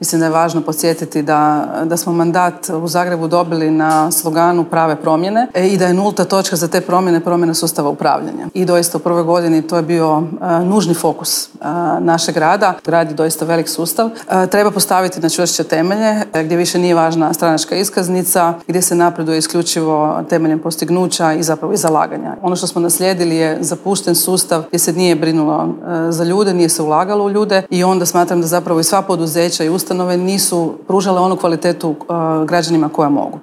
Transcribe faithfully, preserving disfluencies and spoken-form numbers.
Mislim da je važno podsjetiti da, da smo mandat u Zagrebu dobili na sloganu prave promjene i da je nulta točka za te promjene promjena sustava upravljanja. I doista u prvoj godini to je bio uh, nužni fokus uh, našeg rada. Grad je doista velik sustav. Uh, treba postaviti na čvršće temelje gdje više nije važna stranačka iskaznica, gdje se napreduje isključivo temeljem postignuća i zapravo i zalaganja. Ono što smo naslijedili je zapušten sustav gdje se nije brinulo uh, za ljude, nije se ulagalo u ljude i onda smatram da zapravo i sva poduzeća i ustanove nisu pružale onu kvalitetu uh, građanima koja mogu.